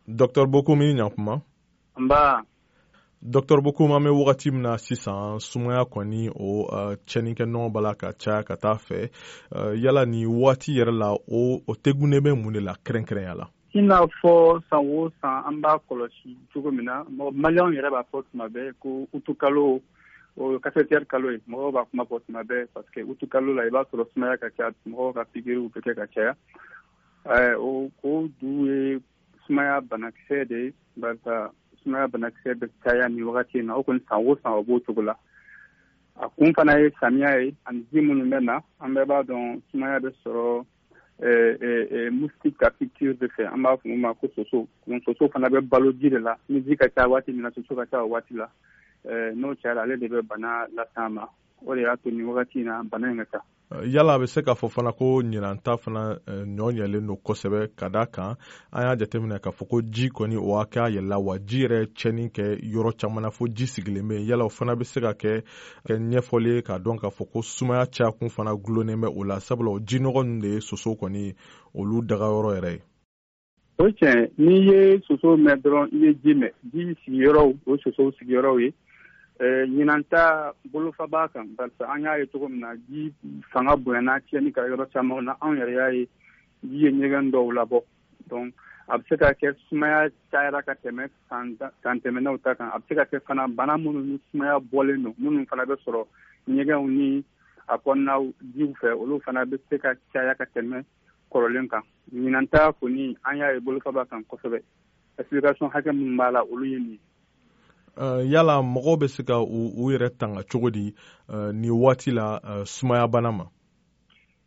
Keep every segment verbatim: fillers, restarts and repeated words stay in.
Docteur Bocoum, i ni ɲakuma. Nba. Docteur Bocoum, an bɛ wagati min na sisan, sumaya kɔni o uh, tiɲɛnikɛ nɔgɔ b'a la ka caya ka taa fɛ. uh, yala ni waati yɛrɛ la, o o tegunnen bɛ mun de la kɛrɛnkɛrɛnya la? I n'a fɔ san o san, an b'a kɔlɔsi cogo min na, maliyɛnw yɛrɛ b'a fɔ tuma bɛɛ ko utukalo o cafetière kalo ye. Mɔgɔw b'a kuma fɔ tuma bɛɛ parce que utukalo la, i b'a sɔrɔ sumaya ka ca, mɔgɔw ka pikiriw bɛ kɛ ka caya. o o du ye sumaya banakisɛ de ye, barisa sumaya banakisɛ bɛ caya nin wagati in na. O kɔni, san o san o b'o cogo la. A kun fana ye samiya ye ani ji minnu bɛ na. An bɛɛ b'a dɔn, sumaya bɛ sɔrɔ moustique ka piqûre de fɛ, an b'a fɔ o ma ko soso. Soso fana bɛ balo ji de la. Ni ji ka ca waati min na, soso ka ca o waati la. N'o cayara, ale de bɛ bana las'an ma. O de y'a to nin wagati in na, bana in ka ca. Yala a bɛ se k'a fɔ fana ko ɲinan ta fana ɲɔ ɲɛlen don kosɛbɛ, ka da kan an y'a jateminɛ k'a fɔ ko ji kɔni o hakɛya yɛlɛla, wa ji yɛrɛ tiɲɛni kɛ yɔrɔ caman na fo ji sigilen bɛ yen. Yala o fana bɛ se ka kɛ kɛ ɲɛfɔli ye k'a dɔn k'a fɔ ko sumaya cayakun fana gulonnen bɛ o la, sabula o jinɔgɔ ninnu de ye soso kɔni olu dagayɔrɔ yɛrɛ ye? O tiɲɛ, n'i ye soso mɛn dɔrɔn, i ye ji mɛn. Ji sigiyɔrɔw, o sosow sigiyɔrɔw ye. Ɲinan ta bolofa b'a kan, barisa an y'a ye cogo min na, ji fanga bonyana, tiɲɛni kɛra yɔrɔ caman na. Anw yɛrɛ y'a ye, ji ye ɲɛgɛn dɔw labɔ. Donc a bɛ se ka kɛ sumaya cayara ka tɛmɛ san san tɛmɛnɛw ta kan. A bɛ se ka kɛ fana bana minnu ni sumaya bɔlen don, minnu fana bɛ sɔrɔ ɲɛgɛnw ni a kɔnɔna jiw fɛ, olu fana bɛ se ka caya ka tɛmɛ kɔrɔlen kan. Ɲinan ta kɔni, an y'a ye bolofa b'a kan kosɛbɛ. Explication hakɛ minnu b'a la, olu ye nin ye. Uh, yala mɔgɔw bɛ se ka u, u yɛrɛ tanga cogo di uh, nin waati la uh, sumaya bana ma?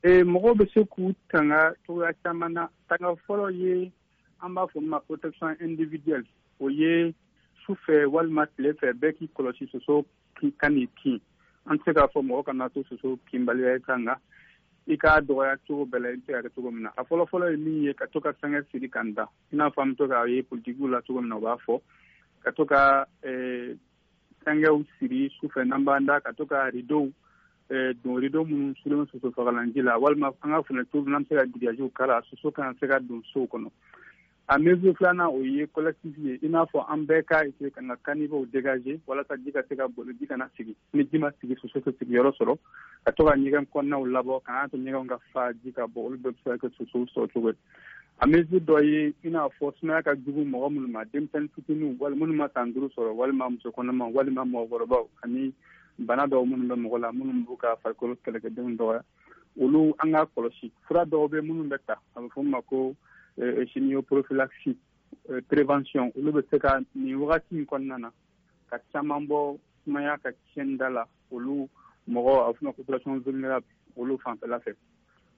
E, mɔgɔw bɛ se k'u tanga cogoya caman na. Tanga fɔlɔ ye, an b'a fɔ min ma protection individuelle. O ye su fɛ walima tile fɛ, bɛɛ k'i kɔlɔsi soso ka n'i kin. An tɛ se k'a fɔ mɔgɔ kana to soso kinbaliya ye kan, nka i k'a dɔgɔya cogo bɛɛ la, i bɛ se ka kɛ cogo min na. A fɔlɔ fɔlɔ ye min ye, ka to ka sangɛ siri ka da, i n'a fɔ an bɛ to k'a ye politikiw la cogo min na, u b'a fɔ ka to ka sangɛw siri su fɛ n'an b'an da, ka to ka rideau don, rideau minnu sulen soso fagalanji la, walima an ka fenêtre n'an bɛ se ka grillage k'a la, soso kana se ka don sow kɔnɔ. A mesure filanan, o ye collectif ye, i n'a fɔ an bɛɛ ka essayer ka ka caniveau dégager walasa ji ka se ka boli, ji kana sigi. Ni ji ma sigi, soso tɛ sigiyɔrɔ sɔrɔ. Ka to ka ɲɛgɛn kɔnɔnaw labɔ, kana to ɲɛgɛnw ka fa, ji ka bɔ, olu bɛɛ bɛ se ka kɛ sosow sɔrɔ cogo ye. A mesure dɔ ye, i n'a fɔ sumaya ka jugu mɔgɔ minnu ma, denmisɛnnin fitininw walima minnu ma san duuru sɔrɔ, walima muso kɔnɔmaw, walima mɔgɔkɔrɔbaw, ani bana dɔw minnu bɛ mɔgɔ la, minnu b'u ka farikolo kɛlɛkɛdenw dɔgɔya, olu an ka kɔlɔsi. Fura dɔw bɛ minnu bɛ ta, a bɛ fɔ min ma ko chimioprophylaxie, prévention, olu bɛ se ka nin wagati in kɔnɔna na ka caman bɔ sumaya ka tiɲɛni da la olu mɔgɔ, a bɛ fɔ ma population vulnérable, olu fanfɛla fɛ.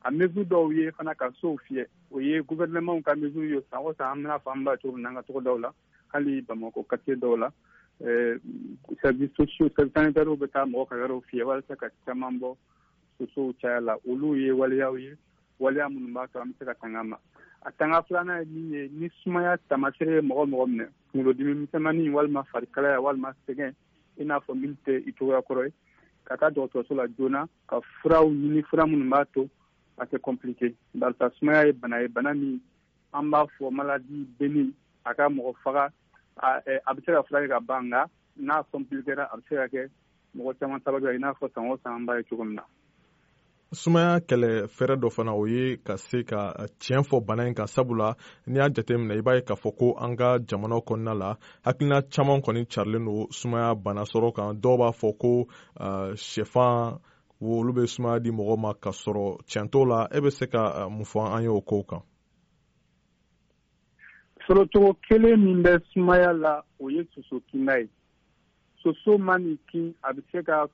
A mesure dɔw ye fana ka sow fiyɛ. O ye gouvernement ka mesure ye san o san. An bɛna fɔ an b'a cogo min na, an ka togodaw la, hali Bamakɔ quartier dɔw la, services sociaux, services sanitaires bɛ taa mɔgɔ ka yɔrɔw fiyɛ walasa ka caman bɔ sosow caya la. Olu ye waleyaw ye, waleya minnu b'a to an bɛ se ka tanga ma. A tanga filanan ye min ye, ni sumaya taamasere ye mɔgɔ mɔgɔ minɛ, kunkolodimi misɛnmanin walima farikalaya walima sɛgɛn, i n'a fɔ min tɛ i cogoya kɔrɔ ye, ka taa dɔgɔtɔrɔso la joona ka furaw ɲini, fura minnu b'a to a tɛ compliqué, barisa sumaya ye bana ye, bana min an b'a fɔ maladie bénigne. A ka mɔgɔ faga, a bɛ se ka furakɛ ka ban, nka n'a compliquera, a bɛ se ka kɛ mɔgɔ caman sababu ye, i n'a fɔ san o san an b'a ye cogo min na. Sumaya kɛlɛ fɛɛrɛ dɔ fana, o ye ka se ka tiɲɛ fɔ bana in kan, sabula n'i y'a jateminɛ, i b'a ye k'a fɔ ko an ka jamana kɔnɔna la, hakilina caman kɔni carilen don sumaya bana sɔrɔ kan. Dɔw b'a fɔ ko sɛfan, olu bɛ sumaya di mɔgɔ ma, ka sɔrɔ tiɲɛ t'o la. E bɛ se ka mun fɔ an ye o kow kan? Sɔrɔcogo kelen min bɛ sumaya la, o ye soso kinda ye. Soso ma nin kin, a bɛ se ka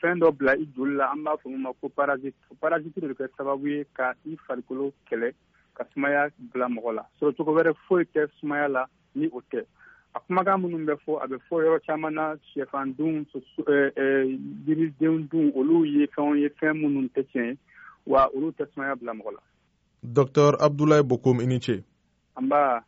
fɛn dɔ bila i joli la, an b'a fɔ min ma ko parasite. Parasite de bɛ kɛ sababu ye ka i farikolo kɛlɛ ka sumaya bila mɔgɔ la. Sɔrɔcogo wɛrɛ foyi tɛ sumaya la ni o tɛ. A kumakan minnu bɛ fɔ, a bɛ fɔ yɔrɔ caman na, sɛfan dun, yiridenw dun, olu ye fɛnw ye, fɛn minnu tɛ tiɲɛ ye, wa olu tɛ sumaya bila mɔgɔ la. Docteur Abdoulaye Bocoum, i ni ce. Nba.